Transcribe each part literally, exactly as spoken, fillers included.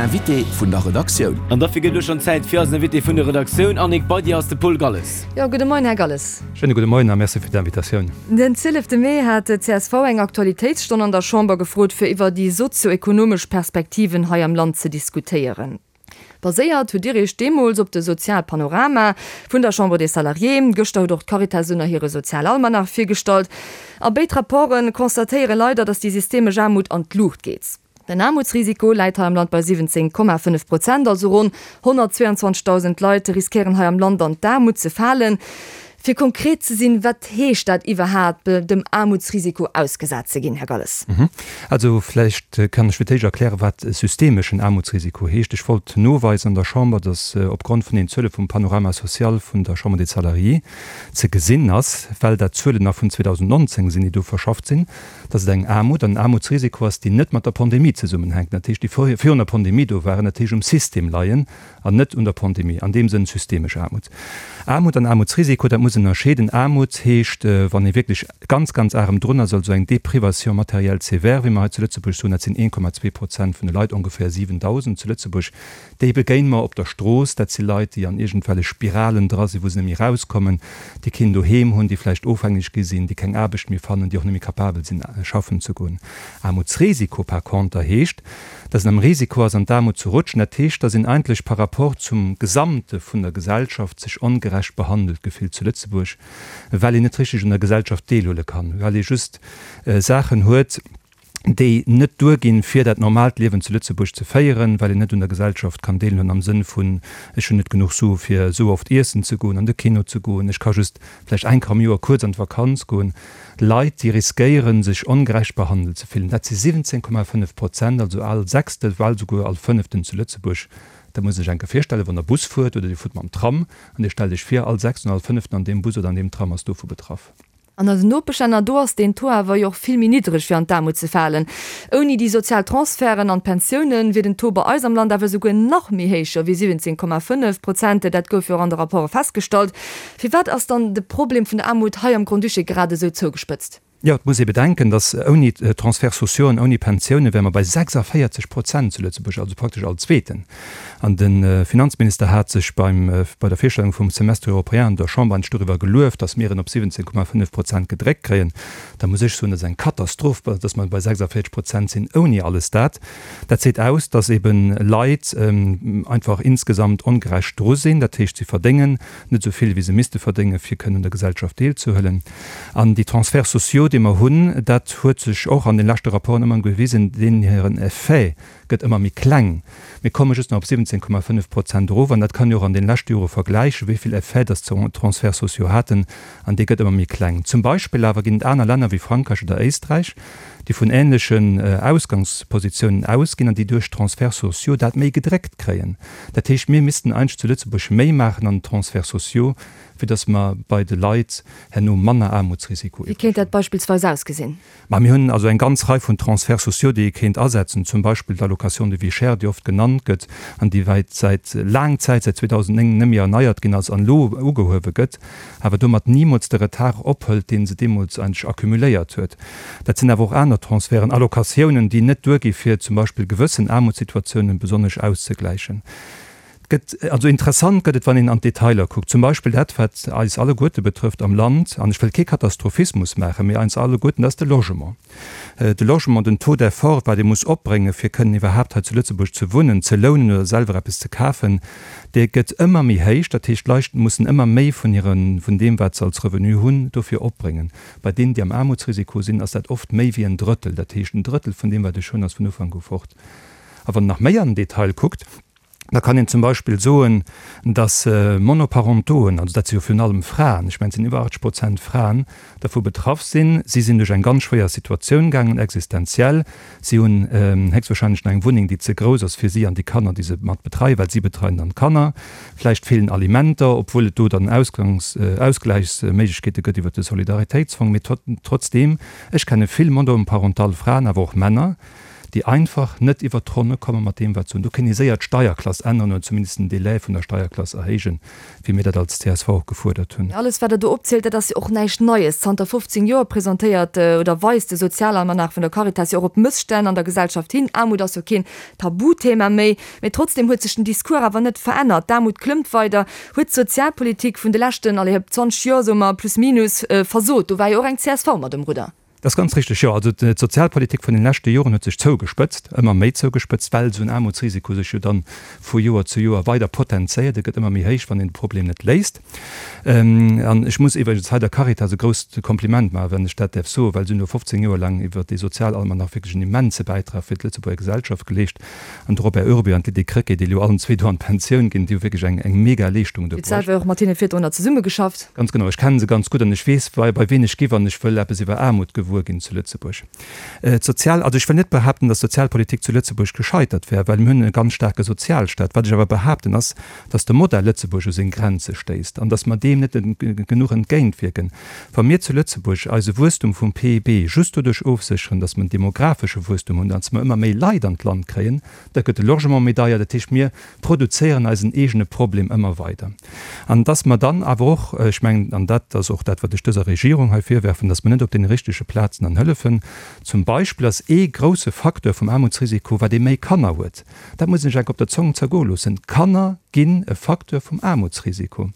Invité vun der Redaktioun. An dofir gëtt elo schonn Zäit fir eisen Invité vun der Redaktioun. Annick, bei dir ass de Paul Galles. Jo, gudde Moien, Här Galles. Schéine gudde Moien a Merci fir d'Invitatioun. Den zwielefte Mee hat d'CSV eng Aktualitéitsstonn an der Chamber gefrot, fir iwwer déi sozio-ekonomesch Perspektiven hei am Land ze diskutéieren. Baséiert hutt Dir Iech deemools op de Sozialpanorama vun der Chambre des Salariés. Gëschter huet och d'Caritas ënner hire Sozialalmanach virgestallt. A béid Rapporte constatéiere leider, datt déi systemesch Aarmut an d'Luucht geet. Den Aarmutsrisiko läit hei am Land bei siwwenzéng Komma fënnef Prozent, also ronn honnertzweeanzwanzegdausend Leit riskéieren hei am Land an d'Aarmut ze falen. Fir konkret ze sinn, wat heescht dat iwwerhaapt, dem Aarmutsrisiko ausgesat ze ginn, Här Galles? Also vläicht kann ech fir d'éischt erklären, wat systemeschen Aarmutsrisiko heescht. Ech wollt noweisen an der Chamber, dass opgrond vun den Zuele vum Panorama social vun der Chambre des Salariés ze gesinn ass, well dat Zuelen nach vun zweedausendnonzéng sinn, déi do verschafft sinn, dass et eng Aarmut an en Aarmutsrisiko ass, déi net mat der Pandemie zesummenhänken, dat heescht, déi virun der Pandemie do waren, dat heescht um System leien an net un der Pandemie, an deem Sënn systemesch Aarmut. Aarmut an Aarmutsrisiko, dat muss een ënnerscheeden. Aarmut heescht, wann ee wierklech ganz, ganz arem drun ass, also eng Déprivation matérielle sévère, wéi mer hei zu Lëtzebuerg soen, dat sinn een Komma zwee Prozent vun de Leit, ongeféier siwendausend zu Lëtzebuerg, déi begéine mer op der Strooss. Dat si Leit, déi an iergendwellech Spiralen dra sinn, wou se net méi erauskommen, déi keen Doheem hunn, déi vläicht ofhängeg gi sinn, déi keng Aarbecht méi fannen, déi och net méi capabel sinn, schaffen ze goen. Aarmutsrisiko par conter heescht, dass een am Risiko ass, an d'Aarmut ze rutschen. Dat heescht, dass een eigentlech par rapport zum Gesamte vun der Gesellschaft sech ongerecht behandelt gefillt zu Lëtzebuerg, well een net richteg un der Gesellschaft deelhuele kann, well ee just Saachen huet, déi net duerginn, fir dat normaalt Liewen zu Lëtzebuerg ze féieren, well een net un der Gesellschaft kann deelhuelen am Sënn vun, ech hunn net genuch Sue fir esou oft iessen ze goen, an de Kino ze goen, ech ka just vläicht eng Kéier am Joer kuerz an d'Vakanz goen. Leit, déi riskéieren, sech ongerecht behandelt ze fillen, dat si siwwenzéng Komma fënnef Prozent, also all Sechste, bal souguer all Fënneften zu Lëtzebuerg. Dat muss ee sech eng Kéier virstellen, wann Der Bus fuert oder Dir fuert mam Tram an Dir stellt Iech vir, all Sechsten oder all Fënneften an deem Bus oder an deem Tram ass dovu betraff. An eisen Nopeschlänner, do ass deen Taux awer jo och vill méi niddreg fir an d'Aarmut ze falen. Ouni déi sozial Transferten an d'Pensiounen wier den Taux bei eis am Land awer esouguer nach méi héich, jo wéi siwwenzéng Komma fënnef Prozent. Dat gouf jo och an de Rapporte festgestallt. Firwat ass dann de Problem vun der Aarmut hei am Grand-Duché grad esou zougespëtzt? Jo, et muss ee bedenken, datt ouni Transferts sociaux an ouni Pensioune wäre mer bei sechsundvierzig Prozent zu Lëtzebuerg, also praktesch all Zweeten. An de Finanzminister hat sech beim, bei der Virstellung vum Semestre européen an der Chamber eigentlech doriwwer gelueft, datt mir en op siwwenzéng Komma fënnef Prozent gedréckt kréien. Da muss ech soen, dat ass eng Katastroph, datt mer bei sechsundvierzig Prozent sinn ouni alles dat. Dat seet aus, datt ebe Leit einfach insgesamt ongerecht dru sinn. Dat heescht, si verdéngen net esou vill, wéi se misste verdéngen, fir kënnen un der Gesellschaft deelzehuelen. An déi Transferts sociaux, déi mer hunn, dat huet sech och an de leschte Rapporten ëmmer gewisen, deenen hiren Effet gëtt ëmmer méi kleng. Mir komme just nach op siwwenzéng Komma fënnef Prozent erof, an dat kann ee och an de leschte Jore vergläichen, wéi vill Effet dass d'Transferts sociaux haten, an dee gëtt ëmmer méi kleng. Zum Beispill awer ginn et aner Länner wéi Frankräich oder Éisträich, déi vun ähnlechen Ausgangspositiounen ausginn an déi duerch d'Transferts sociaux dat méi gedréckt kréien. Dat heescht, mir missten eigentlech zu Lëtzebuerg méi maachen an den Transferts sociaux, fir datt mer bei de Leit herno manner Aarmutsrisiko Wéi kéint dat beispillsweis ausgesinn? Ma mir hunn also eng ganz Rei vun Transferts sociaux, déi ee kéint asetzen, zum Beispill d'Allocation de vie chère, déi oft genannt gëtt an déi wäit säit laang Zäit, säit zweedausendnéng net méi erneiert ginn ass an elo ugehuewe gëtt, awer domat nimools de Retard ophëlt, dee se deemools eigentlech accumuléiert huet. Dat sinn awer och aner Transferten, Allocatiounen, déi net duergi fir zum Beispill gewëssen Aarmutssituatiounen besonnesch auszegläichen. Gëtt, also interessant gëtt et, wann een an d'Detailer kuckt, zum Beispill dat, wat eis alleguerte betrëfft am Land, an ech wëll kee Katastrophismus maachen, mee eis alleguerten, dat ass de Logement. De Logement, den Taux d'effort, wat ee muss opbréngen, fir kënnen iwwerhaapt hei zu Lëtzebuerg ze wunnen, ze lounen oder selwer eppes ze kafen, dee gëtt ëmmer méi héich. Dat heescht, d'Leit mussen ëmmer méi vun hire, vun deem, wat se als Revenu hunn, dofir opbréngen. Bei deenen, déi am Aarmutsrisiko sinn, ass dat oft méi wéi en Drëttel. Dat heescht, en Drëttel vun deem, wat ech hunn, ass vun Ufank u fort. A wann een nach méi an den Detail kuckt, da kann een zum Beispill soen, dass Monoparentoen, also dat si jo virun allem Fraen, ech mengen et sinn iwwer achtzeg Prozent Fraen, dervu betraff sinn. Si sinn duerch eng ganz schwéier Situatioun gaangen, existenziell. Si hunn héchstwahrscheinlech nach eng Wunneng, déi ze grouss ass fir si an déi Kanner, déi se mat betreien, well si betreien dann d'Kanner. Vläicht feelen Alimenter, obwuel et do dann Ausgangs-, Ausgläichsméiglechkeete gëtt iwwert de Solidaritéitsfong. Mee trotzdeem, ech kenne vill monoparental Fraen, awer och Männer, déi einfach net iwwert d'Ronne komme mat deem, wat se hunn. Do kéint ee séier d'Steierklass änneren oder zumindest den Delai vun der Steierklass erhéijen, wéi mir dat als C S V och gefuerdert hunn. Alles, wat Der do opzielt, dat ass jo och näischt Neies. Zanter fofzéng Joer presentéiert oder weist de Sozialalmanach vun der Caritas jo och op Mësstänn an der Gesellschaft hin. Aarmut ass jo keen Tabuthema méi. Mee trotzdem huet sech den Discours awer net verännert. D'Aarmut klëmmt weider. Huet d'Sozialpolitik vun de leschten, allez, zwanzeg Joer, soe mer, plus minus, versot? Do war jo och eng C S V mat um Rudder. Dat ass ganz richteg, jo. Also d'Sozialpolitik vun den leschte Joren huet sech zougespëtzt, ëmmer méi zougespëtzt, well esou en Aarmutsrisiko sech jo dann vu Joer zu Joer weider potenzéiert. E gëtt ëmmer méi héich, wann een de Problem net léist. An ech muss iwwregens hei der Caritas e grousst Kompliment maachen, wann ech dat däerf soen, well se hunn elo fofzéng Joer laang iwwert dee Sozialalmanach wierklech en immense Bäitrag fir d'Lëtzebuerger Gesellschaft geleescht. An de Robert Urbé an d'Lydie Krecké, déi elo allen zwee do an d'Pensioun ginn, déi hu wierklech eng, eng mega Leeschtung do Dir hutt selwer och mat hinne virdrunner zesummegeschafft. Ganz genau, ech kenne se ganz gutt an ech weess, bei, bei wien ech gi wann ech wëll eppes iwwer Aarmut gewuer ginn zu Lëtzebuerg. D'Sozial, also ech wëll net behaapten, datt d'Sozialpolitik zu Lëtzebuerg gescheitert wär, well mir hunn e ganz staarke Sozialstaat. Wat ech awer behaapten ass, datt de Modell Lëtzebuerg u seng Grenze stéisst an datt mer deem net genuch entgéintwierken. Wa mir zu Lëtzebuerg eise Wuesstum vum P I B just doduerch ofsécheren, datt mer en demographesche Wuesstum hunn, datt mer ëmmer méi Leit an d'Land kréien, da gëtt de Logement méi deier. Dat heescht, mir produzéieren eisen eegene Problem ëmmer weider. An datt mer dann awer och, ech mengen, an dat ass och dat, wat ech dëser Regierung hei virwerfen, datt mer net op deene richtege Plazen dann hëllefen. Zum Beispill ass ee grousse Facteur vum Aarmutsrisiko, wat ee méi Kanner huet. Dat muss een sech enk op der Zong zergoe loossen. Kanner ginn e Facteur vum Aarmutsrisiko.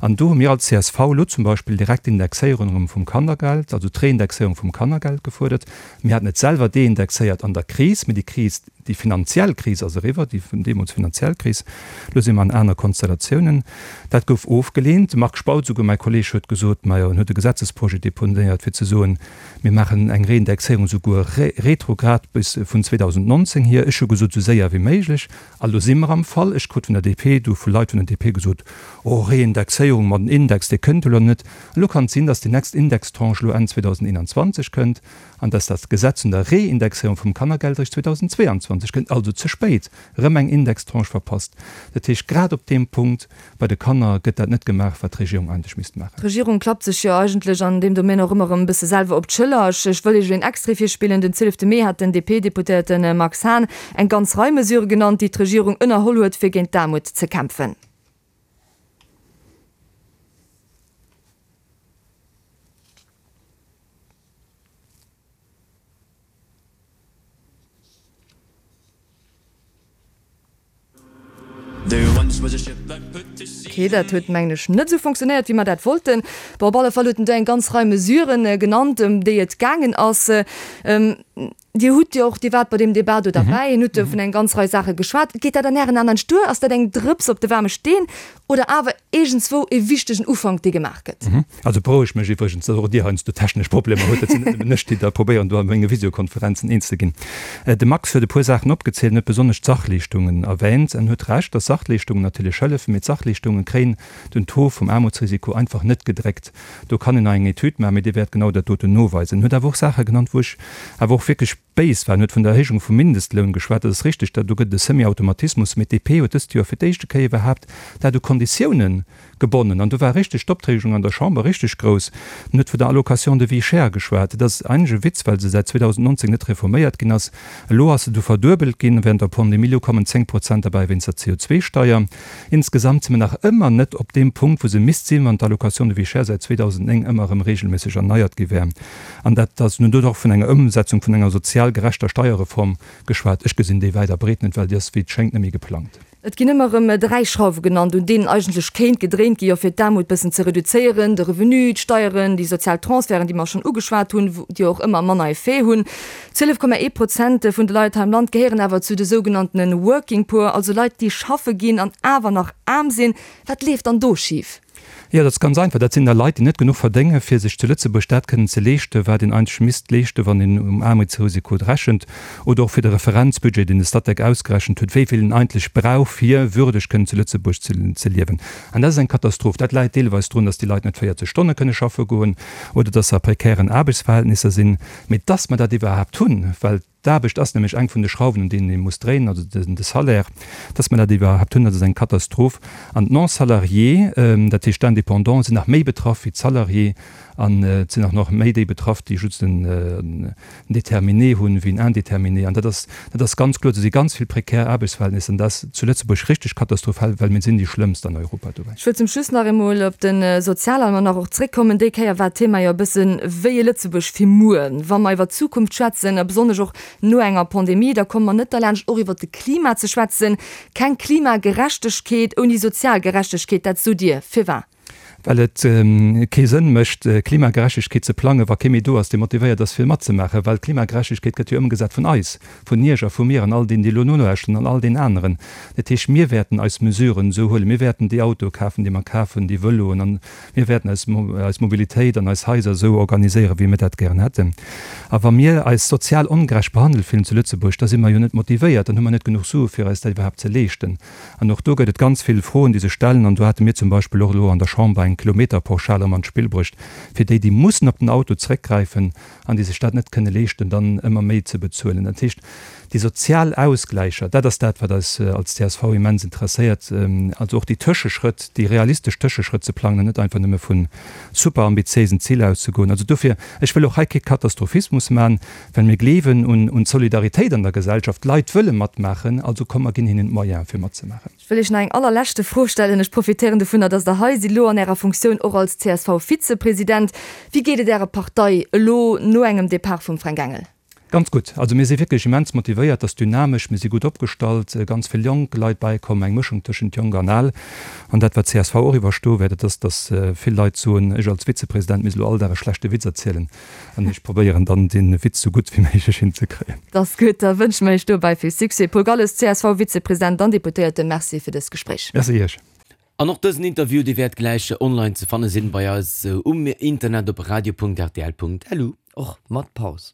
An do hu mir als C S V elo zum Beispill direkt d'Indexéierung erëm vum Kannergeld, also d'Reindexéierung vum Kannergeld gefuerdert. Mir haten et selwer deindexéiert an der Kris, mee déi Kris, déi finanziell Kris ass eriwwer, déi vun deemools finanziell Kris. Elo si mer an aner Konstellatiounen. Dat gouf ofgeleent. De Marc Spautz, souguer mäi Kolleeg, huet gesot, majo, en huet e Gesetzesprojet deponéiert, fir ze soen, mir maachen eng Reindexéierung souguer retrograd bis vun zweedausendnonzéng hier. Ech hu gesot, esou séier wéi méiglech. A lo si mer am Fall. Ech krut vun der D P, du vu Leit vun der D P gesot, oh, Reindexéierung mat den Index, dee kënnt elo net. Elo kann et sinn, datt déi nächst Indextranche elo Enn zweedausendeenanzwanzeg kënnt an datt dat Gesetz un der Reindexéierung vum Kannergeld eréischt zweedausendzweianzwanzeg kënnt, also ze spéit, erëm eng Indextranche verpasst. Dat heescht, grad op deem Punkt bei de Kanner gëtt dat net gemaach, wat d'Regierung eigentlech misst maachen. D'Regierung klappt sech jo eigentlech an deem Domaine och ëmmer erëm e bësse selwer op d'Schëller. Ech, ech wëll Iech elo een Extrait virspillen. Den zwielefte Mee hat den D P-Deputéierte Max Hahn eng ganz Rei Mesurë genannt, déi d'Regierung ënnerholl huet, fir géint d'Aarmut ze kämpfen. Okay, dat huet, mengen ech, net esou funktionéiert, wéi mer dat wollten. Bon, op alle Fall huet en do eng ganz Rei Mesuren genannt, ëm déi et gaangen ass. Dir hutt jo och, Dir waart bei deem Debat do derbäi, en hutt jo vun eng ganz Rei Saache geschwat. Geet dat an Ären Aen an d'Stuer? Ass dat eng Drëps op de waarme Steen oder awer iergendswou e wichtegen Ufank, dee gemaach gëtt? Also berouegt mech iwwregens, datt och Dir heiansdo technesch Problemer hutt. Dat sinn net nëmmen ech, déi da probéieren, do a menge Visiokonferenzen eens ze ginn. De Max huet e puer Saachen opgezielt an huet besonnesch d'Sachleeschtungen erwähnt. En huet Recht, datt Sachleeschtungen natierlech hëllefen, mee d'Sachleeschtungen kréien den Taux vum Aarmutsrisiko einfach net gedréckt. Do kann een nach eng Etüd maachen, mee déi wäert genau dat doten noweisen. En huet awer och Saache genannt, wou ech awer och wierklech béis war. En huet vun der Erhéijung vum Mindestloun geschwat. Dat ass richtig, do gëtt et e Semi-Automatismus, mee d'D P huet dëst Joer fir d'éischte Kéier iwwerhaapt dat u Konditiounen gebonnen. An do war richtig d'Optregung an der Chamber richtig grouss. En huet vun der Allocation de vie chère geschwat. Dat ass eigentlech e Witz, well se säit zweedausendnonzéng net reforméiert ginn ass. Elo ass se du verduebelt ginn während der Pandemie. Elo kommen zéng Prozent derbäi wéinst der C O zwei Steier. Insgesamt si mer nach ëmmer net op deem Punkt, wou se misst sinn, wann d'Allocation de vie chère säit zweedausendnéng ëmmer erëm regelméisseg erneiert gi wär. An dat ass nun do och vun enger Ëmsetzung vun enger sozial gerechter Steierreform geschwat. Ech gesinn déi wäit a breet net, well déi ass, wéi et schéngt, net méi geplangt. Et ginn ëmmer erëm dräi Schrauwe genannt, un deenen eigentlech kéint gedréint gi jo fir d'Aarmut bëssen ze reduzéieren, de Revenu, d'Steieren, déi sozial Transferten, déi mer schonn ugeschwat hunn, déi och ëmmer manner Effet hunn. Zwielef Komma ee Prozent vun de Leit hei am Land gehéieren awer zu de sougenanntene Working Poor, also Leit, déi schaffe ginn an awer nach aarm sinn. Wat leeft dann do schif? Jo, dat ass ganz einfach. Dat sinn da Leit, déi net genuch verdéngen, fir sech zu Lëtzebuerg dat kënnen ze leeschten, wat een eigentlech misst leeschten, wann een um Aarmutsrisiko rechent, oder och fir de Referenzbudget, deen de Statec ausgerechent huet, wéi vill een eigentlech brauch, fir würdeg kënnen zu Lëtzebuerg ze, ze liewen. An dat ass eng Katastroph. Dat läit deelweis drun, dass déi Leit net véierzeg Stonne kënne schaffe goen oder dass se a prekären Aarbechtsverhältnisser sinn. Mee dass mer dat iwwerhaapt hunn, well D'Aarbecht ass nämlech eng vun de Schrauwen, un deenen ee muss dréinen, also de Salaire. Dass mer dat iwwerhaapt hunn, dat ass eng Katastroph. An d'Non-salariés, dat heescht d'Indépendants, sinn nach méi betraff wéi d'Salariés. An et sinn och nach méi déi betraff, déi just en Déterminé hunn, wéi en Indéterminé. An dat ass, dat ass ganz kloer, do si ganz vill prekär Aarbechtsverhältnisser. An dat ass zu Lëtzebuerg richteg katastrophal, well mir sinn déi schlëmmst an Europa dobäi. Ech wëll zum Schluss nach eemol op de Sozialalmanach och zréckkommen. Déi Kéier war d'Thema jo e bëssen, Wéi e Lëtzebuerg fir muer? Wa mer iwwer d'Zukunft schwätzen, a besonnesch och no enger Pandemie, da komme mer net derlaanscht, och iwwer de Klima ze schwätzen. Keng Klimagerechtegkeet ouni sozial Gerechtegkeet, dat sot Dir. Firwat? Well et kee Sënn mécht, Klimagerechtegkeet ze plangen, wa kee méi do ass, dee motivéiert ass, fir matzemaachen. Well Klimagerechtegkeet gëtt jo ëmgesat vun eis, vun Iech a vu mir an all deenen, déi elo nolauschteren, an all deenen aneren. Dat heescht, mir wäerten eis Mesuren esou huelen, mir wäerten déi Autoe kafen, déi mer kafen, déi Vëloen, an mir wäerten eis eis Mobilitéit an eis Haiser esou organiséieren, wéi mir dat gären hätten. A wa mir eis sozial ongerecht behandelt fillen zu Lëtzebuerg, da si mer jo net motivéiert, dann hu mer net genuch Sue fir eis dat iwwerhaapt ze leeschten. An och do gëtt et ganz vill Froen, déi sech stellen. An do hate mir zum Beispill och elo an der Chamber eng Kilometerpauschale erëm an d'Spill bruecht, fir déi, déi mussen op den Auto zréckgräifen an déi sech dat net kënne leeschten, dann ëmmer méi ze bezuelen. Dat heescht, déi sozial Ausgläicher, dat ass dat, wat eis als csv immens interesséiert, also och déi Tëscheschrëtt, déi realistesch Tëscheschrëtt ze plangen an net einfach nëmme vu superambitiéisen Ziler auszegoen. Also dofir, ech wëll och hei kee Katastrophismus maachen, well mir gleewen un d'Solidaritéit an der Gesellschaft. D'Leit wëlle matmaachen, also komm mer ginn hinnen d'Moyene fir matzemaachen. Ech wëll Iech nach eng allerleschte Fro stellen. Ech profitéieren dovunner, dass Der hei sidd, elo an Ärer Funktioun och als CSV-Vizepresident. Wéi geet et Ärer Partei elo no engem Depart vum Fränk Engel? Ganz gutt. Also mir si wierklech immens motivéiert, et ass dynamesch, mir si gutt opgestallt, ganz vill jonk Leit bäikomm, eng Mëschung tëschent jonk an al. An dat wat csv och iwwerstoe wäert, dat ass, datt vill Leit soen, ech als Vizepresident misst elo all Dag e schlechte Witz erzielen. An ech probéieren dann dee Witz sou gutt wéi méiglech hinzekréien. Dat ass gutt, da wënsche mer Iech dobäi vill Succès. Paul Galles, CSV-Vizepresident an Deputéierte, Merci fir dëst Gespréich. Merci Iech. An och dësen Interview, dee wäert gläich online ze fanne sinn bei eis um Internet op radio.rtl.lu. Och mat Paus.